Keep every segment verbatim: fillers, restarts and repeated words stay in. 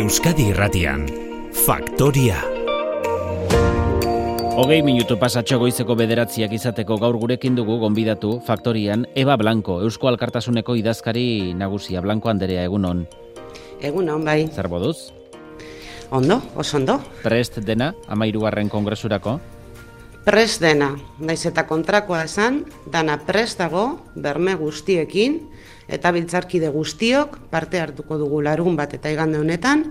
Euskadi Irratian, Faktoria. Hogei minutu pasatxo goizeko bederatziak izateko gaur gurekin dugu gonbidatu Faktorian Eba Blanco, Eusko Alkartasuneko idazkari nagusia. Blanco Anderea, egunon. Egunon, bai. Zer moduz? Ondo, oso ondo. Prest dena, amairugarren kongresurako? Prest dena, naiz eta kontrakoa esan, dana prest dago, berme guztiekin, eta biltzarkide guztiok parte hartuko dugu larun bat eta igande honetan,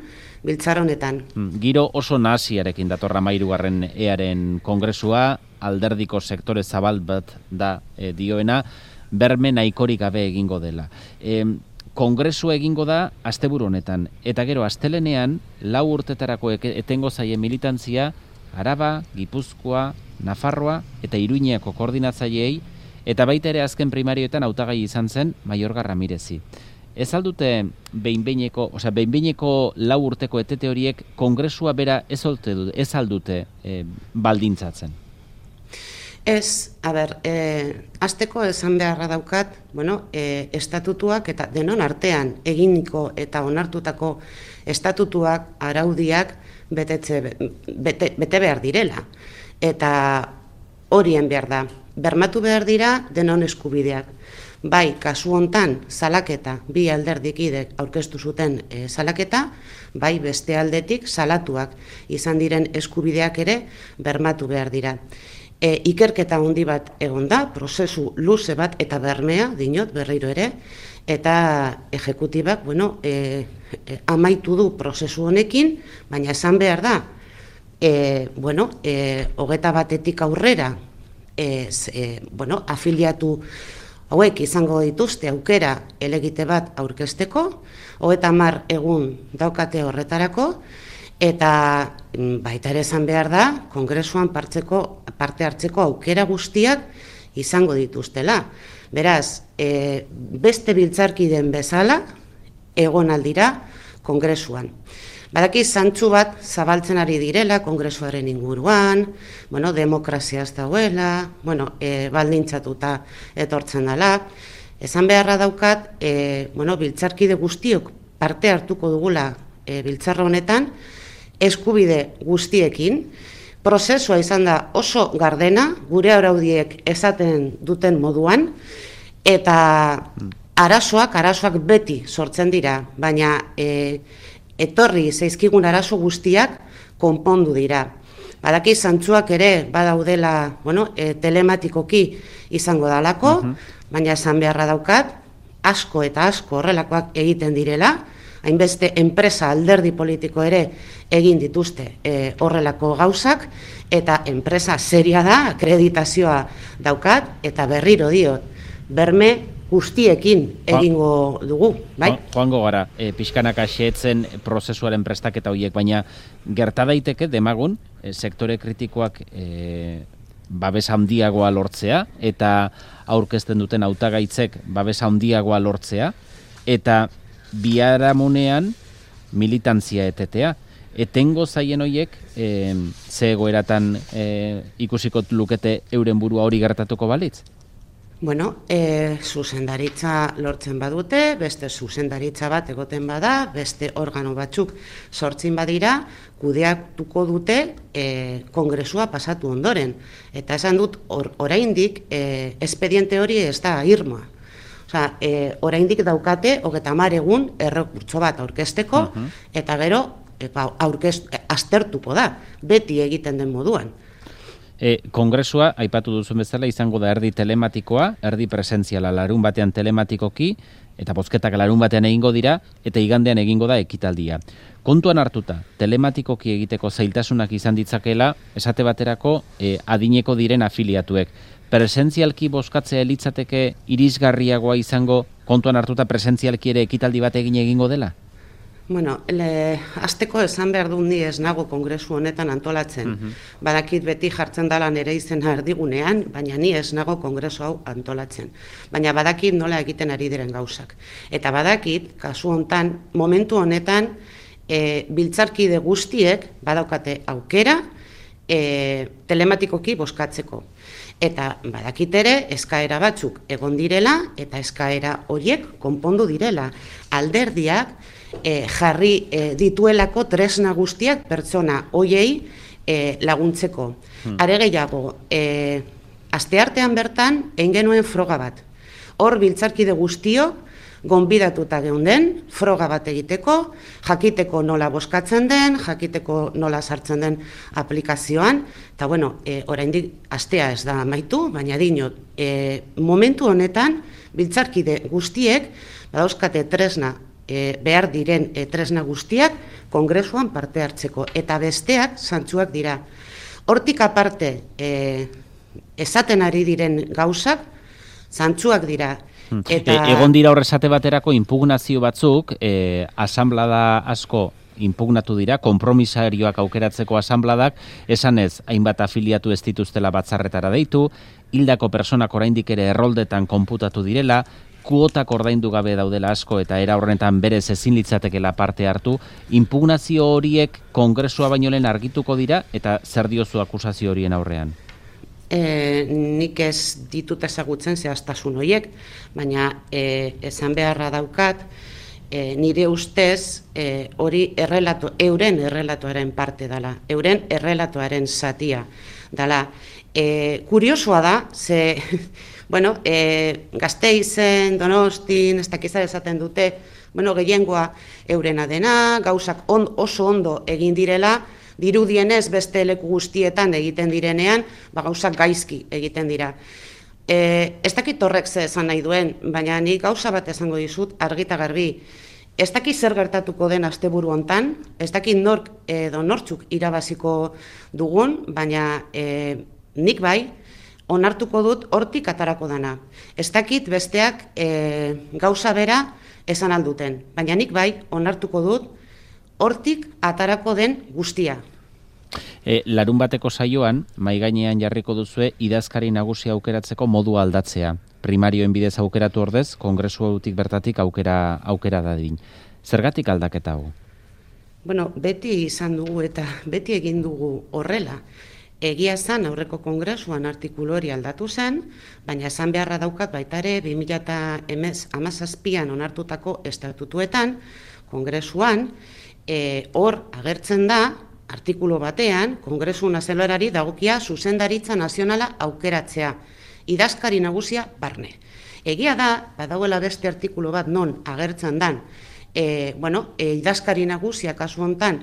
biltzar honetan. Giro oso nahasiarekin datorra amairugarren earen kongresua, alderdiko sektore zabal bat da e, dioena, berme nahikorik gabe egingo dela. E, kongresua egingo da asteburu honetan, eta gero astelenean lau urtetarako etengo zaie militantzia Araba, Gipuzkoa, Nafarroa eta Iruñeako koordinatzaileei, eta baita ere azken primarioetan hautagai izan zen Maiorga Ramirezi. Ez aldute behinbeineko, osea behinbeineko lau urteko etete horiek kongresua bera ez olte dut, ez aldute e, baldintzatzen? Ez, a ber, e, azteko esan beharra daukat, bueno, e, estatutuak eta denon artean eginiko eta onartutako estatutuak, araudiak betetze, bete, bete behar direla. Eta horien behar da, bermatu behar dira denon eskubideak. Bai, kasu hontan salaketa, bi alderdikidek aurkeztu zuten e, salaketa, bai beste aldetik salatuak izan diren eskubideak ere bermatu behar dira. E, ikerketa handi bat egon da, prozesu luze bat eta bermea, dinot, berriro ere, eta ejekutibak, bueno, e, e, amaitu du prozesu honekin, baina esan behar da, e, bueno, e, hogeta batetik aurrera, e, e, bueno, afiliatu hauek izango dituzte aukera elegite bat aurkezteko, hogeita hamar egun daukate horretarako, eta baita ere esan behar da, kongresuan partzeko, parte hartzeko aukera guztiak izango dituztela. Beraz, e, beste biltzarkiden bezala egon aldira kongresuan. Badaki zantzu bat zabaltzen ari direla kongresuaren inguruan, bueno, demokraziaz dauela, bueno, e, baldintzatuta etortzen dela. Esan beharra daukat, e, bueno, biltzarkide guztiok parte hartuko dugula e, biltzarra honetan, eskubide guztiekin, prozesua izan da oso gardena, gure araudiek esaten duten moduan, eta arazoak, arazoak beti sortzen dira, baina e, etorri zaizkigun arazo guztiak konpondu dira. Badaki zantzuak ere badaudela, bueno, e, telematikoki izango dalako, uh-huh. baina esan beharra daukat, asko eta asko horrelakoak egiten direla, hainbeste enpresa alderdi politiko ere egin dituzte e, horrelako gauzak, eta enpresa seria da, akreditazioa daukat, eta berriro diot, berme guztiekin egingo dugu, bai? Joango gara, e, pixkanaka xeetzen prozesuaren prestaketa horiek, baina gerta daiteke demagun, e, sektore kritikoak e, babes handiagoa lortzea, eta aurkezten duten hautagaitzek babes handiagoa lortzea, eta biharamunean militantzia etetea. Etengo zaien horiek, e, ze egoeratan e, ikusiko lukete euren burua hori gertatuko balitz? Bueno, e, zuzendaritza lortzen badute, beste zuzendaritza bat egoten bada, beste organo batzuk sortzen badira, kudeatuko dute e, kongresua pasatu ondoren. Eta esan dut, or, oraindik e, espediente hori ez da irmoa. Osea, e, oraindik daukate, hogeita hamar egun errekurtso bat aurkezteko, uh-huh. eta gero epa, aurkez, aztertuko da, beti egiten den moduan. E, kongresua, aipatu duzun bezala, izango da erdi telematikoa, erdi presentziala larun batean telematikoki, eta bozketak larun batean egingo dira, eta igandean egingo da ekitaldia. Kontuan hartuta, telematikoki egiteko zailtasunak izan ditzakela, esate baterako e, adineko diren afiliatuek. Presentzialki bozkatzea elitzateke irisgarriagoa izango, kontuan hartuta presentzialki ere ekitaldi bat egin egingo dela? Bueno, le, azteko esan behar dut ni ez nago kongresu honetan antolatzen. Uh-huh. Badakit beti jartzen dela nire izena erdigunean, baina ni ez nago kongresu hau antolatzen. Baina badakit nola egiten ari diren gauzak. Eta badakit, kasu hontan, momentu honetan, e, biltzarkide guztiek badaukate aukera e, telematikoki bozkatzeko. Eta badakit ere eskaera batzuk egon direla eta eskaera horiek konpondu direla. Alderdiak e, jarri e, dituelako tresna guztiak pertsona hoiei e, laguntzeko. Hmm. Are gehiago, e, asteartean bertan egin genuen froga bat. Hor biltzarkide guztiok gonbidatuta geunden, froga bat egiteko, jakiteko nola boskatzen den, jakiteko nola sartzen den aplikazioan, eta bueno, e, oraindik astea ez da amaitu, baina dinot, e, momentu honetan, biltzarkide guztiek, badauzkate tresna, e, behar diren e, tresna guztiak, kongresuan parte hartzeko, eta besteak zantzuak dira. Hortik aparte, e, esaten ari diren gauzak, zantzuak dira. Eta... E, egon dira horrezate baterako inpugnazio batzuk, e, asanblada asko inpugnatu dira, konpromisarioak aukeratzeko asanbladak, esan ez, hainbat afiliatu ez dituztela batzarretara deitu, hildako personak oraindik ere erroldetan konputatu direla, kuotak ordaindu gabe daudela asko eta era horretan berez ezin litzatekela parte hartu, inpugnazio horiek kongresua baino lehen argituko dira eta zer diozu akusazio horien aurrean? E, nik ez ditut ezagutzen zehaztasun horiek, baina e, esan beharra daukat, e, nire ustez e, hori errelato, euren errelatoaren parte dela, euren errelatoaren zatia dela. E, kuriosoa da, ze, bueno, e, Gasteizen, Donostin, ez dakizar esaten dute, bueno, gehiengoa eurena dena, gauzak on, oso ondo egin direla, dirudienez beste leku guztietan egiten direnean, ba gauzak gaizki egiten dira. E, ez dakit horrek ze esan nahi duen, baina nik gauza bat esango dizut, argita garbi. Ez dakit zer gertatuko den asteburu hontan, ez dakit nork edo nortzuk irabaziko dugun, baina e, nik bai, onartuko dut hortik atarako dana. Ez dakit besteak e, gauza bera esan alduten, baina nik bai, onartuko dut, hortik atarako den guztia. E, larun bateko saioan, mahai gainean jarriko duzue idazkari nagusia aukeratzeko modu aldatzea. Primarioen bidez aukeratu ordez, kongresu hautik bertatik aukera aukera dadin. Zergatik aldaketa hau? Bueno, beti izan dugu eta beti egin dugu horrela. Egia zen aurreko kongresuan artikulu hori aldatu zen, baina esan beharra daukat baita ere bi mila hamazazpian onartutako estatutuetan, kongresuan, E, hor agertzen da, artikulu batean, Kongresu Nazionalari dagokia zuzendaritza nazionala aukeratzea, idazkari nagusia barne. Egia da, badagoela beste artikulu bat non agertzen dan, e, bueno, e, idazkari nagusia kasu hontan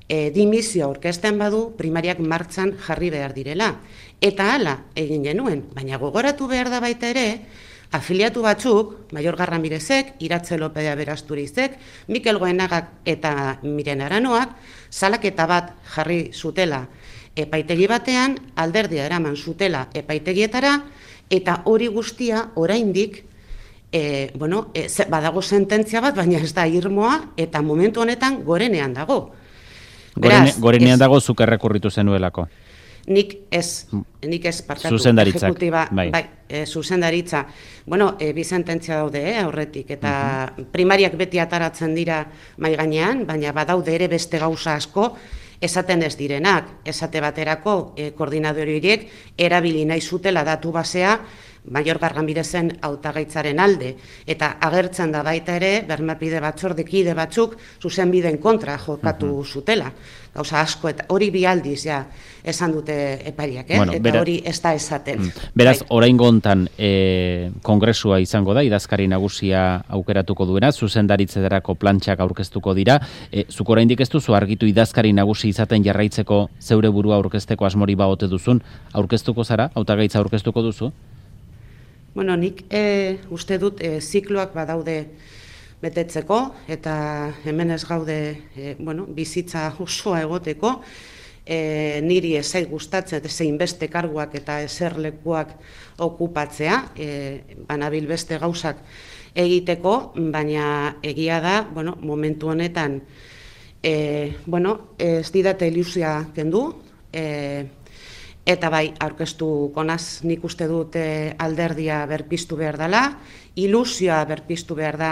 e, dimizioa aurkezten badu, primariak martxan jarri behar direla. Eta hala egin genuen, baina gogoratu behar da baita ere, afiliatu batzuk, Maior Garramirezek, Iratze Lopea Berazturizek, Mikel Goenagak eta Miren Aranoak, salaketa bat jarri zutela epaitegi batean, alderdia eraman zutela epaitegietara, eta hori guztia oraindik e, bueno, e, badago sententzia bat, baina ez da irmoa, eta momentu honetan gorenean dago. Gorene, Beraz, gorenean ez, dago zuk errekurritu zenuelako. Nik ez, nik ez partatu. Zuzendaritzak, ejekutiba, bai. bai e, zuzendaritza. Bueno, e, bi sententzia daude, eh, aurretik, eta uh-huh. primariak beti ataratzen dira mai gainean, baina badaude ere beste gauza asko, esaten ez direnak, esate baterako e, koordinadori horiek erabili nahi zutela datu basea, Maior Garramirezen hautagaitzaren alde, eta agertzen da baita ere, bermapide batzordekide batzuk zuzenbideen kontra jokatu uh-huh. zutela. Gauza asko, eta hori bi aldiz ja esan dute epariak, eh? bueno, eta bera, hori ez da esaten. Beraz, bai. Oraingo hontan e, kongresua izango da, idazkari nagusia aukeratuko duena, zuzendaritzederako plantxak aurkeztuko dira. E, zuk oraindik ez duzu argitu idazkari nagusi izaten jarraitzeko zeure burua aurkezteko asmori baote duzun, aurkeztuko zara, hautagaitza aurkeztuko duzu? Bueno, nik e, uste dut e, zikloak badaude betetzeko, eta hemen ez gaude e, bueno, bizitza osoa egoteko, e, niri ezai gustatzen zein beste karguak eta eserlekuak okupatzea, e, banabil beste gauzak egiteko, baina egia da, bueno, momentu honetan, e, bueno, ez didate ilusia kendu, e, eta bai, aurkeztuko naz, nik uste dut e, alderdia berpiztu behar dela, ilusioa berpiztu behar da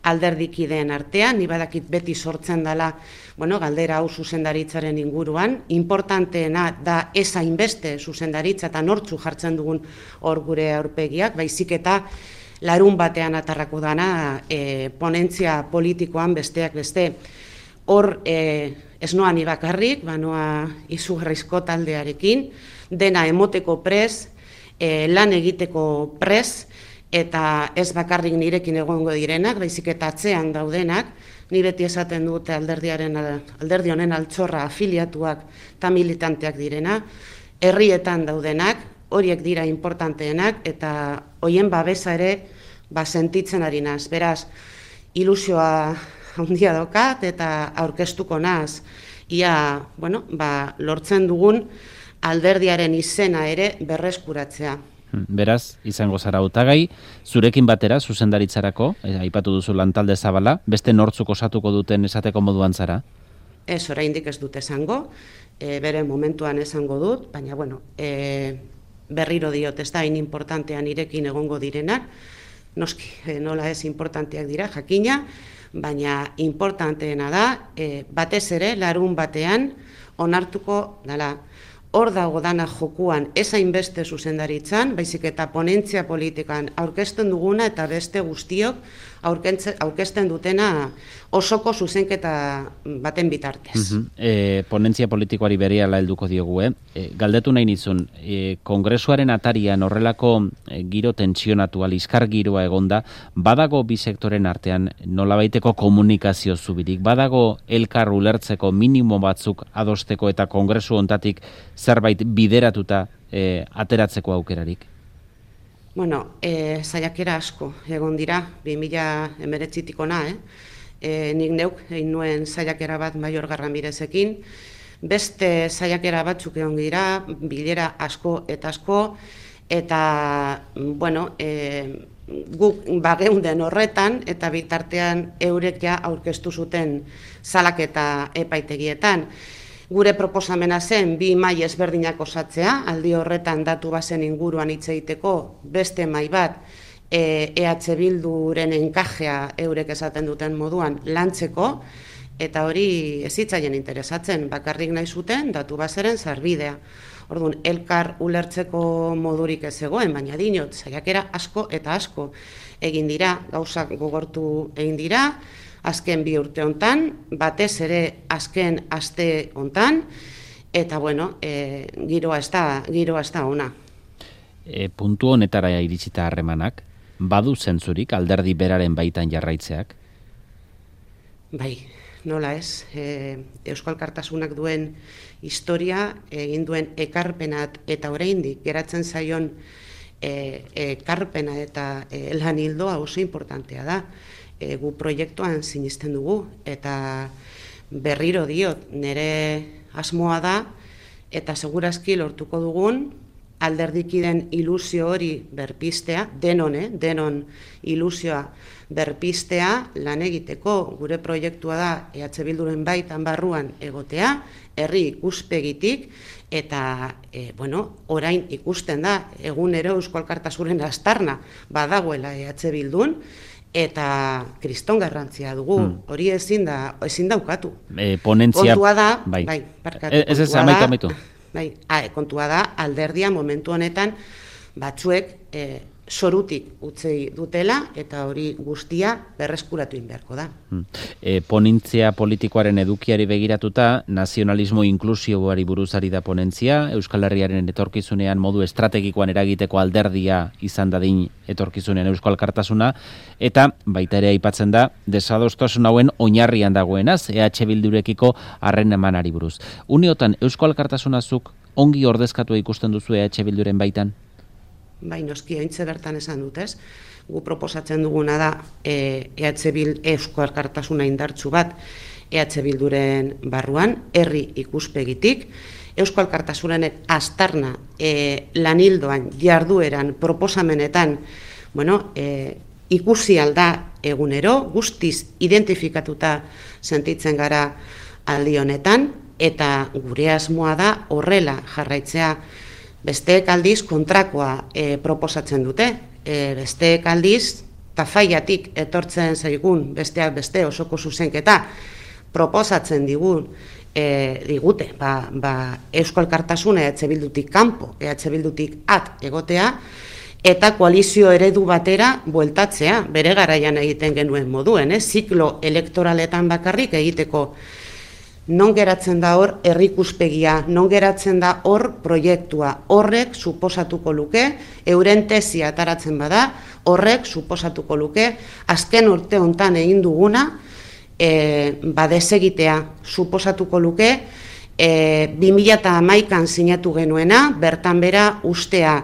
alderdikideen artean, ni badakit beti sortzen dela, bueno, galdera hau zuzendaritzaren inguruan, importanteena da ez hainbeste zuzendaritza eta nortzu jartzen dugun hor gure aurpegiak, baizik eta larun batean atarrako dana e, ponentzia politikoan besteak beste. Hor e, ez noa ni bakarrik, banoa izugarrizko taldearekin, dena emoteko prez, e, lan egiteko prez, eta ez bakarrik nirekin egongo direnak, baizik eta atzean daudenak, ni beti esaten dute alderdiaren alderdi honen altxorra afiliatuak eta militanteak direna, herrietan daudenak, horiek dira importanteenak, eta hoien babesa ere ba sentitzen ari naz. Beraz, ilusioa handia daukat eta aurkeztuko naz, ia, bueno, ba, lortzen dugun alderdiaren izena ere berreskuratzea. Beraz, izango zara hautagai, zurekin batera zuzendaritzarako, eh, aipatu duzu lantalde zabala, beste nortzuk osatuko duten esateko moduan zara? Ez, oraindik ez dut esango, e, bere momentuan esango dut, baina, bueno, e, berriro diot, ez da, hain importantean irekin egongo direnak, noski, e, nola ez importanteak dira, jakina, baina importanteena da, e, batez ere, larun batean, onartuko dela. Hor dago dana jokuan ez hainbeste zuzendaritzan, baizik eta ponentzia politikan aurkezten duguna eta beste guztiok aurkezten dutena osoko zuzenketa baten bitartez. Uh-huh. e, ponentzia politikoari berehala helduko diogu, eh? E, galdetu nahi nizun, e, kongresuaren atarian horrelako e, giro tentsionatua, liskar giroa egonda, badago bi sektoren artean nolabaiteko komunikazio zubirik, badago elkar ulertzeko minimo batzuk adosteko eta kongresu hontatik zerbait bideratuta e, ateratzeko aukerarik? Bueno, e, saiakera asko egon dira, bi mila hemeretzitik ona, eh? E, nik neuk egin nuen saiakera bat Maior Garramirezekin, beste saiakera batzuk egon dira, bilera asko eta asko, eta, bueno, e, guk bageunden horretan, eta bitartean eurek ja aurkeztu zuten salaketa epaitegietan. Gure proposamena zen bi mahai ezberdinak osatzea, aldi horretan datu bazen inguruan hitz egiteko beste mahai bat E H Bilduren enkajea eurek esaten duten moduan lantzeko, eta hori ez zitzaien interesatzen, bakarrik nahi zuten datu baseren sarbidea. Orduan, elkar ulertzeko modurik ez zegoen, baina dinot, saiakera asko eta asko egin dira, gauzak gogortu egin dira, azken bi urte hontan, batez ere azken aste hontan, eta bueno, e, giroa ez da, giroa ez da ona. E, puntu honetara iritsita harremanak, badu zentzurik alderdi beraren baitan jarraitzeak? Bai, nola ez, e, Euskal Alkartasunak duen historia, egin duen ekarpenat eta oraindik geratzen zaion e, ekarpena eta e, lan hildoa oso importantea da. E, gu proiektuan sinisten dugu, eta berriro diot, nire asmoa da, eta segurazki lortuko dugun, alderdikiden ilusio hori berpistea, denon, eh? denon ilusioa berpistea lan egiteko. Gure proiektua da E H Bilduren baitan barruan egotea, herri ikuspegitik, eta e, bueno, orain ikusten da, egunero Eusko Alkartasunen aztarna badagoela E H Bildun, eta kriston garrantzia dugu, hmm. hori ezin da, ezin daukatu. E, ponentzia... Kontua da, bai, bai parkatu, e, ez ez, amaitu, amaitu. Bai, a, kontua da, alderdia momentu honetan batzuek e, zorutik utzi dutela, eta hori guztia berreskuratu inbeharko da. Hmm. E, ponentzia politikoaren edukiari begiratuta, nazionalismo inklusiboari buruzari da ponentzia, Euskal Herriaren etorkizunean modu estrategikoan eragiteko alderdia izan dadin etorkizunean Euskal Alkartasuna, eta baita ere aipatzen da, desadostasun hauen oinarrian dagoenaz, E H Bildurekiko harren emanari buruz. Uniotan, Euskal Alkartasunazuk ongi ordezkatua ikusten duzu E H Bilduren baitan? Bai, noski, haintze bertan esan dut, ez? Gu proposatzen duguna da E H Bild Eusko Alkartasuna indartsu bat E H Bilduren barruan, herri ikuspegitik, Eusko Alkartasunen aztarna e, lanildoan, jardueran, proposamenetan, bueno, e, ikusi alda egunero, guztiz identifikatuta sentitzen gara aldi honetan, eta gure asmoa da horrela jarraitzea. Besteek aldiz kontrakoa e, proposatzen dute. E, besteek aldiz, tafaiatik etortzen zaigun besteak beste osoko zuzenketa proposatzen digun e, digute, ba, ba, Eusko Alkartasuna E H Bildutik kanpo, E H Bildutik at egotea, eta koalizio eredu batera bueltatzea, bere garaian egiten genuen moduen, eh? Ziklo elektoraletan bakarrik egiteko. Non geratzen da hor herrikuspegia, non geratzen da hor proiektua, horrek suposatuko luke, euren tesia ataratzen bada, horrek suposatuko luke, azken urte hontan egin duguna, e, ba desegitea suposatuko luke, e, bi mila hamaikan sinatu genuena, bertan bera ustea,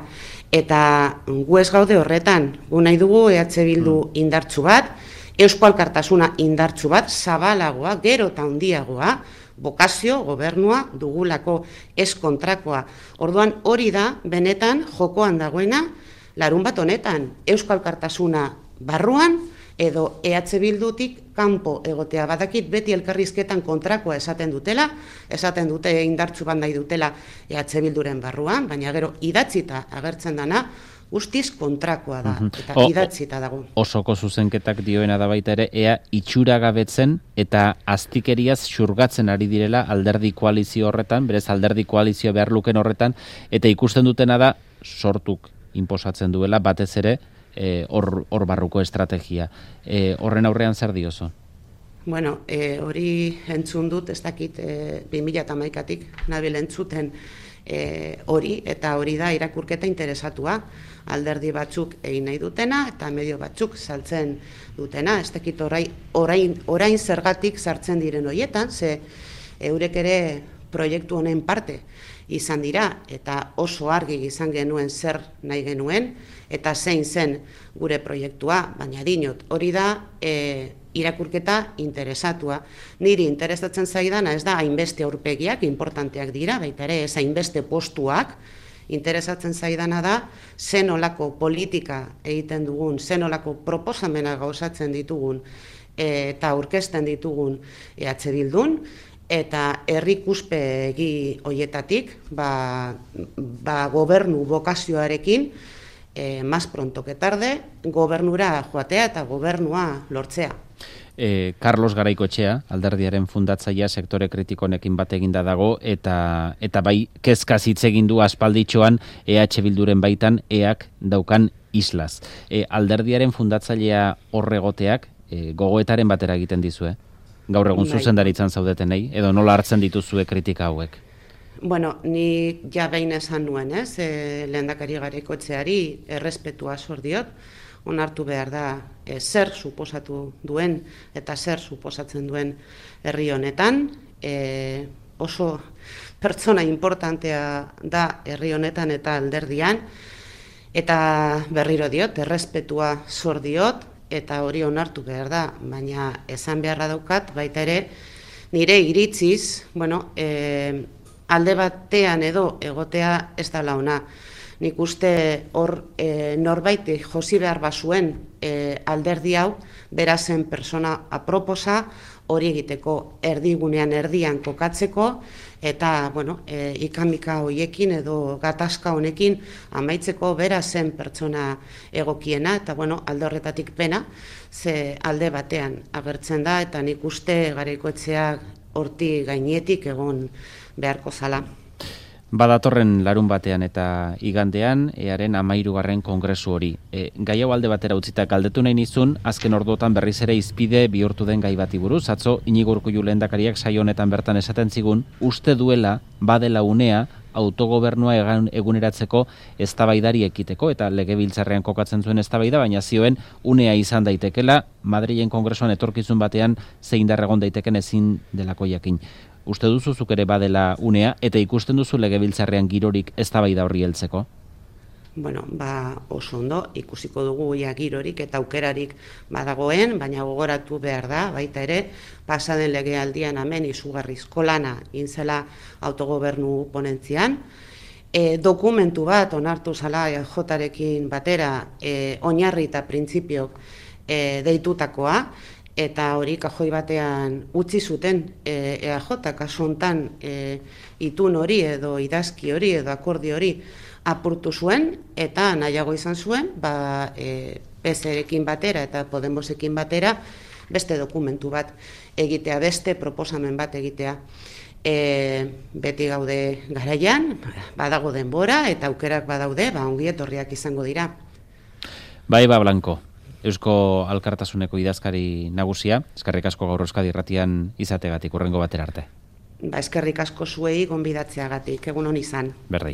eta gu ez gaude horretan, gu nahi dugu E H Bildu indartsu bat, Eusko Alkartasuna indartsu bat, zabalagoa, gero eta handiagoa, bokazio, gobernua dugulako ez kontrakoa. Orduan hori da, benetan, jokoan dagoena, larun bat honetan, Eusko Alkartasuna barruan, edo E H Bildutik kanpo egotea. Badakit beti elkarrizketan kontrakoa esaten dutela, esaten dute indartsu bat nahi dutela E H Bilduren barruan, baina gero idatzita agertzen dana, guztiz kontrakoa da, eta idatzita dago. Osoko zuzenketak dioena da baita ere, ea itxuragabetzen eta aztikeriaz xurgatzen ari direla alderdi koalizio horretan, berez alderdi koalizio behar luken horretan, eta ikusten dutena da sortuk inposatzen duela, batez ere, hor e, barruko estrategia. E, horren aurrean zer diozu? Bueno, e, hori entzun dut, ez dakit e, bi mila hamaikatik nabil entzuten e, hori, eta hori da irakurketa interesatua, alderdi batzuk egin nahi dutena, eta medio batzuk saltzen dutena, ez dakit orain, orain, orain zergatik sartzen diren horietan, ze eurek ere proiektu honen parte izan dira, eta oso argi izan genuen zer nahi genuen, eta zein zen gure proiektua, baina dinot, hori da e, irakurketa interesatua. Niri interesatzen zaidana ez da hainbeste aurpegiak, importanteak dira, baita ere ez hainbeste postuak, interesatzen zaidana da zenolako politika egiten dugun, zenolako proposamena gauzatzen ditugun e, eta aurkezten ditugun E H Bildun, eta herrikuspegi hoietatik, ba, ba gobernu bokazioarekin, e, más pronto que tarde, gobernura joatea eta gobernua lortzea. E, Carlos Garaikoetxea, alderdiaren fundatzailea sektore kritikonekin bat eginda dago, eta eta bai kezkaz hitz egin du aspalditxoan E H Bilduren baitan eak daukan islaz. E, alderdiaren fundatzailea horregoteak e, gogoetaren batera egiten dizue? Gaur egun zuzendaritzan zaudetenei, edo nola hartzen dituzue kritika hauek? Bueno, ni ja behin esan nuen, ez, e, lehendakari Garaikoetxeari errespetua zor diot, onartu behar da e, zer suposatu duen eta zer suposatzen duen herri honetan, e, oso pertsona importantea da herri honetan eta alderdian, eta berriro diot, errespetua zor diot, eta hori onartu behar da, baina esan beharra daukat, baita ere, nire iritziz, bueno, e, alde batean edo egotea ez da launa. Nik uste hor e, norbait josi behar bazuen e, alderdi hau, berazen persona aproposa, hori egiteko erdigunean erdian kokatzeko, eta bueno, e, ikamika hoiekin edo gatazka honekin amaitzeko berazen pertsona egokiena, eta bueno, alde horretatik pena, ze alde batean agertzen da, eta nik uste Garaikoetxeak horti gainetik egon beharko zala. Badatorren larun batean eta igandean, earen amairugarren kongresu hori. E, gai hau alde batera utzita galdetu nahi nizun, azken orduotan berriz ere izpide bihurtu den gai bati buruz. Atzo, Iñigo Urkullu lehendakariak saio honetan bertan esaten zigun, uste duela, badela unea, autogobernua eguneratzeko eztabaidari ekiteko, eta legebiltzarrean kokatzen zuen eztabaida, baina zioen unea izan daitekela, Madrilen kongresuan etorkizun batean zein darregon daiteken ezin delako jakin. Uste duzu zuk ere badela unea, eta ikusten duzu legebiltzarrean girorik eztabaida horri heltzeko? Bueno, ba oso ondo, ikusiko dugu ia girorik eta aukerarik badagoen, baina gogoratu behar da, baita ere, pasaden legealdian hemen izugarrizko lana inzela autogobernu ponentzian, e, dokumentu bat onartu zala E J-rekin batera, e, oinarri eta printzipio e, deitutakoa, eta hori kajoi batean utzi zuten e, E A J, kasu hontan e, itun hori edo idazki hori edo akordi hori apurtu zuen, eta nahiago izan zuen, ba, e, P S rekin batera eta Podemosekin batera beste dokumentu bat egitea, beste proposamen bat egitea. E, beti gaude garaian, badago denbora eta aukerak badaude, ba, ongi etorriak izango dira. Bai, ba, Blanco, Eusko Alkartasuneko idazkari nagusia, eskerrik asko gaur Euskadi Irratian izategatik, hurrengo batera arte. Ba, eskerrik asko zuei gonbidatzeagatik, egun hon izan. Berdin.